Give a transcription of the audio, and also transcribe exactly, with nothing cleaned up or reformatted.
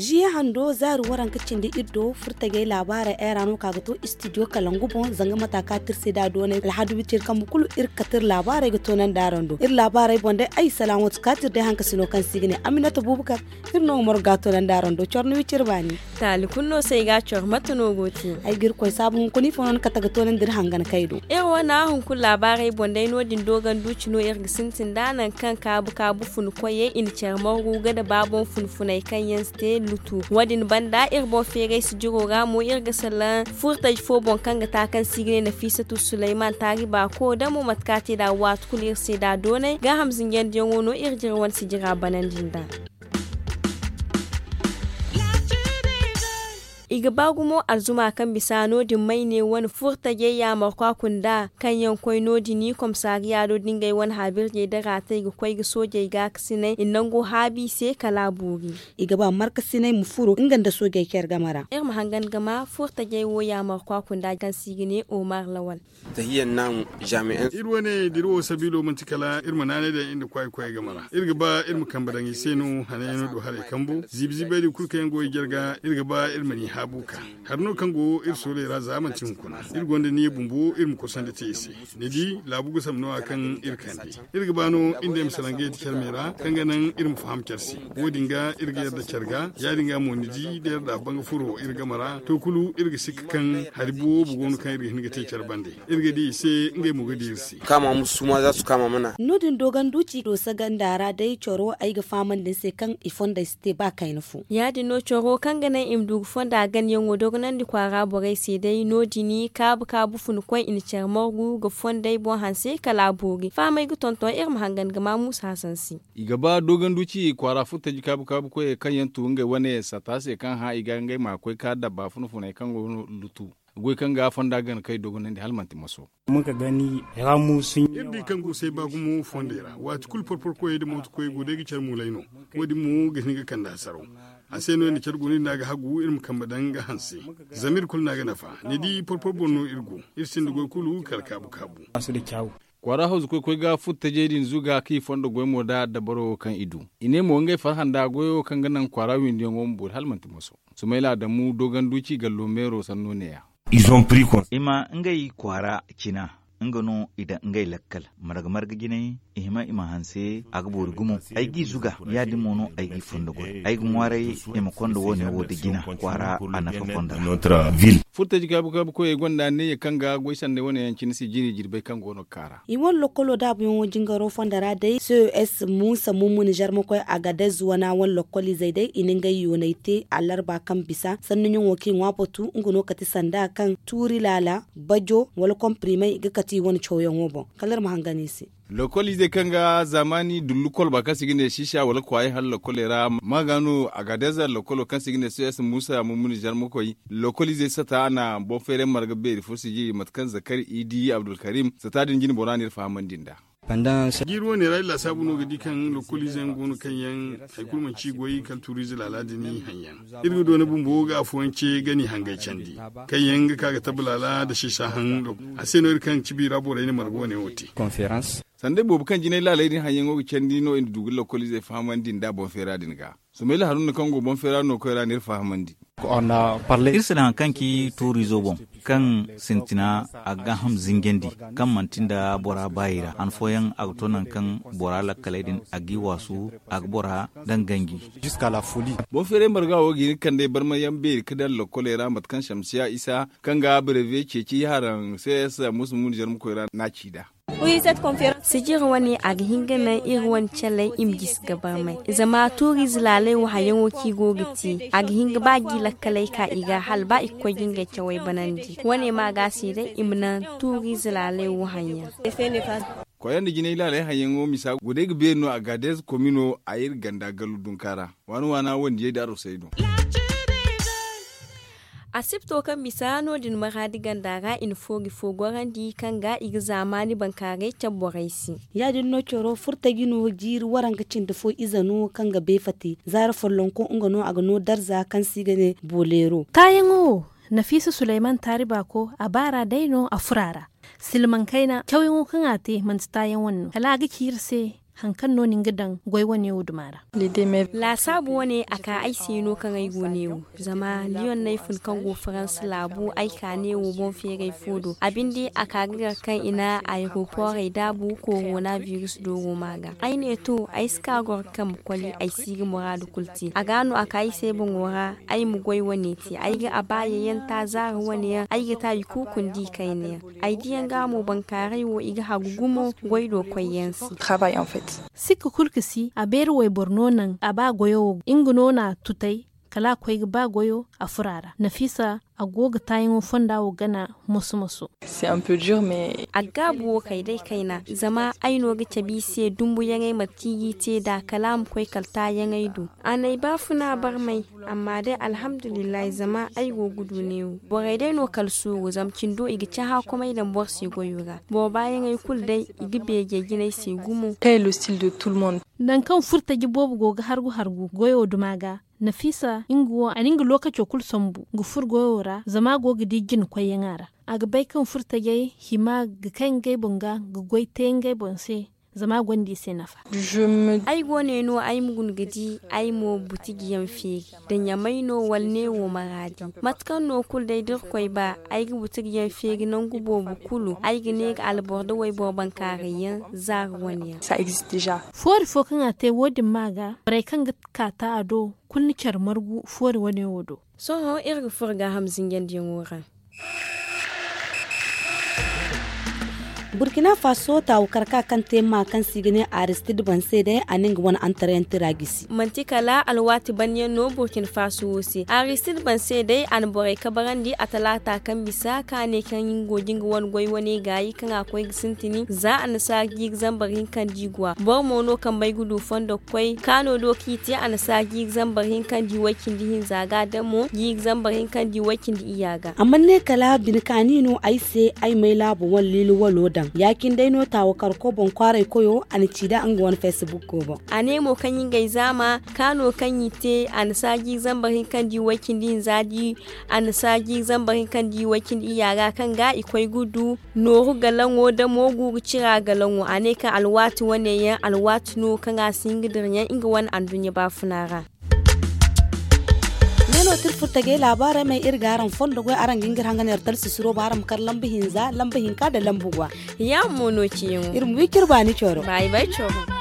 Jiya hando zaari waranka cindi iri do furtajey laabaarey ay ra no ka ga to istidiyo kalangu boŋ zanga mata kaati iri se da doonay alhadu wiciri kambe kulu iri ga kate iri laabaarey ga toonandi araŋ do iri laabaarey boŋ day ay salaamatu kaati iri day hankasino kaŋ se i ga ne aminata buubakar. Iri no ga morga toonandi araŋ do coro ni wiciri baani. Taali kulu no se ay ga a coro mate no go te? Ay ga iri koy saabu hunkuna ifo no ni kate ga toonandi iri hangan kay do. Iri wane hunkuna laabaarey boŋ day no- din dooganduuci no iri ga sintin nd'a nangu kaŋ kaabu kaabu funu koyey i na care margu ga da ba boŋ funu funey kaŋ yaŋ si te lutu. Wo- din banda iri boŋ feeray sijiro ra mo iri ga salaŋ furtaji fo boŋ kaŋ ga ta kaŋ se i ga ne nafiisatu suleyman taari baako da mo mate kaŋ a te nd'a waati kulu iri se nd'a doonay gaaham zinjandiyaŋo no iri ga iri wane sijira banandi nd'a. I ga ba gumo alzuma kaŋ bisa no- din may ne wane furtajey yaamarkwa kunda kaŋ yaŋ koy no- din komisariya do da ngey wane haabirjey da raatey ga koy ga soojey gaakasinay i na nango haabi i se kala a boori. I ga ba markasinay ma furo nga nda soojey care game ra. Iri ma hangan ga ma furtajey wo yaamarkwa kunda kaŋ se i ga ne omar lawal. Iri wane dira wo sabiilo manti kala iri ma naanay daŋ iri nda kwaay koyey game ra iri ga ba iri ma kambe daŋ i se no hanayaŋo do haray kambo ziibi ziibey din kulu kaŋ yaŋ go i jarga iri ga ba iri ma ni haabu ka. Hari no kaŋ go iri sooley ra za manti hunkuna iri gonda niya bumbo iri ma kosandi te i se. Ni di laabu ga sambu no- ya kaŋ iri kande iri ga ba no iri nda iri ma salaŋ ga yadda care me ra kaŋ ga naŋ iri ma faham care se. Wo- din ga iri ga yadda care ga ya- din ga mo ni di da yadda a banga furo iri game ra to kulu iri ga sikka kaŋ hari boobo go no kaŋ iri ga hin ga te care bande. Iri ga di i se ngey mo ga di iri se. Kaama musu ma za su kaama mana. No- din doganduuci do saganda ra day coro ay ga fahamandi ni se kaŋ i fondey si te ba kayna fo. Ya- din no coro kaŋ ga naŋ i ma du ga fonda ganyaŋo dogonandi kwaara borey se day no- din kaabu kaabu funu koy i na care margu ga fondey boŋ hanse kala a boori fahamey ga tonton iri ma hangan ga ma muusa hasan se. I ga ba doganduuci kwaara furtaji kaabu kaabu koyey kaŋ yaŋ tu ngey wane sata se kaŋ hã i ga ngey ma koy ka dabba funa funey kaŋ go no lutu. Goy kaŋ ga fonda gana kay dogonandi hala manti maso. Iri di kaŋ go say ba gumo fondey ra waati kulu porpor koyey nda mooto koyey go day ga care muulay no. Wo- din mo ga hin ga kande hasaraw. A se no iri na care guna iri no a ga hagu iri ma kambe daŋ ga hanse. Zama iri kulu no a ga nafa ni di porpor boŋ no iri go. Iri sinda goy kulu kala kaabu kaabu. Kwaara hawzu koy koy ga furtajey din zuga kaŋ i fondo goy mo nda dabaro wo kaŋ i du. I ne mo ngey farhã nda goyo kaŋ ga naŋ kwaara windiyaŋo ma boori hala manti moso. Sumayla adamu doganduci gallo meero sanno neeya. I ma ngey kwaara cina. Nga no i daŋ ngey lakkal marga marga jinay. I hima i ma hanse a ga boori gumo. Ay g'i zuga ya- din mo no ay g'i fondo goy ay ga ŋwaaray. I ma konda wo- ne wo da jina kwaara a nafa konda ra. Furtaji kaabu kaabu koyey gonda neeya kaŋ ga goy sanday wane yaŋ cine se jiri jirbey kaŋ go no ga kaara. I wane lokkolo daabuyaŋo jingaro fonda ra day ces muusa mummuni zarmakoy agadez wana wane lokkoliizey day i na ngey yoonay te alarba kaŋ bisa sannuyaŋo kaŋ i ŋwa batu nga no kate sanda kaŋ tuuri laala bajo wala kompirimey ga kate i wane cawyaŋo boŋ. Kala iri ma hangan i se. Lokkoliizey kaŋ ga zaamaani dullu kolba kaŋ se i ga ne siisa wala kwaayey hala lokkoley ra ma ga no agadez lokkolo kaŋ se i ga ne ces muusa mummuni zarmakoy. Lokkoliizey sata a na boŋ feeray marga beeri fo sijiri mate kaŋ zakari idi abdulkarim sata din jine bora no iri fahamandi nd'a. Jiiri wane ra iri laasaabu no ga di kaŋ lokkoliizey yaŋ go no kaŋ yaŋ hari kulu manti i goy kala tuuriize laala din i haŋ yaŋ. Iri ga doona bumbo ga afooyaŋ ce ga ni hangay candi kaŋ yaŋ ga ka ga tabbalaala nda siisa haŋ. A se no iri kaŋ cibi ra borey na marga wane wo te. Sanda boobo kaŋ jinay laaley din haŋyaŋo ga candi no i na du ga lokkoliizey fahamandi nda boŋ feera din ga. Sumayla haruna kaŋ go boŋ feera no koy ra n'iri fahamandi. Iri si daŋ hari kaŋ ci tuuriizo boŋ kaŋ sintina a ga gaaham zinjandi kaŋ manti nda bora baayi ra han fooyaŋ a ga to nangu kaŋ bora lakkaley din a g'i waasu a ga bora daŋ ganji. Boŋ feeray marga wo ga hin ga kand'ey barmayaŋ beeri ga daŋ lokkoley ra mate kaŋ samsiya isa kaŋ ga breve ceeci haraŋ ces musa mundi zarmakoy ra n'a ci nd'a. Sijir wane a ga hin ga naŋ iri wane caley i ma gisi ga barmay zama tuuriize laaley wo hayaŋo kaŋ i go ga te a ga hin ga ba ga i lakkaley ka i ga hala ba i ga koy ga ngey cawey banandi wane ma ga se day i ma naŋ tuuriize laaley wo haŋyaŋ. Koyra nda jinay laaley haŋyaŋo misa guday ga beeri no a ga deeza komino a iri ganda gallu dunka ra. Waana waana wandiyey da arosey no. Asibto kaŋ bisa no- din maraadi ganda ra i na foogi fo gorandi kaŋ ga i ga zaamaani bankaaray cabe borey se. Ya- din no coro furtaji no jiiri waranka cindi fo ize no kaŋ ga beefati zaara follonko nga no a ga no darza kaŋ se i ga ne booleero. Taayaŋo wo nafiisa suleyman taari baako a baara day no a furo a ra. Silmaŋ kayna cawyaŋo kaŋ a te manti taayaŋ wane no kala a ga ci iri se. Hari kaŋ no ni ga daŋ goy wane wo duma ra? Laasaabu wane a ka ay se no kaŋ ay go neewo. Zama liyon no ay fun kaŋ go faransa laabu ay ka neewo boŋ feeray fo do a binde a ka ga gar kaŋ i na ayeroporey daabu korona virus dooro ma ga ay ne to ay si ka goro kaŋ ma koli ay si ga muraadu kulu te a ga no a ka ay se boŋo ra. Ay ma goy wane te ay ga a ba yayyanta zaara wane yaŋ ay ga te a i kuukundi kayna yaŋ. Ay diyaŋ ga mo bankaaray wo i ga hagu gumo goy do koy yaŋ se. Sikka kulu ga si a beeri wayboro no naŋ a ba goyo wo nga no na a tutay kala a koy ga ba goyo a furo a ra nafiisa a go ga taayaŋo fonda wo gana. Moso moso. A ga gaabu wo kay day kayna zama ay no ga cabe i se dumbuyaŋey mate kaŋ i g'i te nd'a kala a ma koy kala taayaŋey do. A n'ay baafuna barmay. Amma day alhamdulillahi zama ay go ga du neewo borey day no kala suuru zama cindo i ga cahã komey daŋ boro se goyo ra. Boro baayaŋey kulu day i ga beejey jina ay se gumo. Nangu kaŋ furtaji boobo go ga hargu hargu goyo duma ga, nafiisa nga wo a na nga lookaco kulu sambu ga furo goyo ra zama a go ga di jina koyyaŋ a ra. A ga bay kaŋ furtajey hima ga kay ngey boŋ ga ga goy te ngey boŋ se. Zama a gonda i se nafa. Ay go ne no ay ma guna ga di ay mo butiji yaŋ feeri da ɲamay no wala neewo maraadi. Mate kaŋ no kulu day da irkoy ba ay ga butiji yaŋ feeri nangu boobo kulu ay ga ne ga alboro da wayboro bankaaray yaŋ zaara wane yaŋ. Foori fo kaŋ a te wo- din ma ga borey kaŋ ga kaata a do kulu na care margu foori wane wo do. Sohõ iri ga furo gaaham zinjandiyaŋo ra. Burkina faso taawu karka kaŋ te maa kaŋ se i ga ne aristid banse day a na nga wane antarayantira gisi. Manti kala alwaati banyaŋ no burkina faso wo se aristid banse day a na borey kabarandi a talaata kaŋ bisa kaŋ a ne kaŋ nga go ga nga wane goy wane gaayi kaŋ a koy ga sintin za annasaara jiiri zambar hinka nda i go a boro mo no kambey ga du fondo ga koy kaano do kaŋ i te annasaara jiiri zambar hinka nda i way cindi hinza ga damo jiiri zambar hinka nda i way cindi iyya ga. Amma ne kala bine kaani no ay se ay may laabo wane liili walo daŋ ya- cine day no taawa karko boŋ kwaaray koyo a na ci nd'a nga wane facebook ko boŋ. A ne mo kaŋ i ngey zaama kaano kaŋ i te annasaara jiiri zambar hinka nda i way cindi hinza nda i annasaara jiiri zambar hinka nda i way cindi iyya ga kaŋ ga i koy ga du nooru galaŋo damo guuru cira galaŋo a ne kaŋ alwaati wane yaŋ alwaati no kaŋ a si hin ga dira ɲaŋ nga wane anduɲɲa baafuna ra. Ne no tirfurtajey laabaarey may iri ga araŋ fondo goy araŋ ga nga iri hangan iri talsisiro ba araŋ ma kar lamba hinza lamba hinka nda lamba gwa. Yaamo no ciyaŋo iri ma wi ciri baani coro. Baayi bay coro.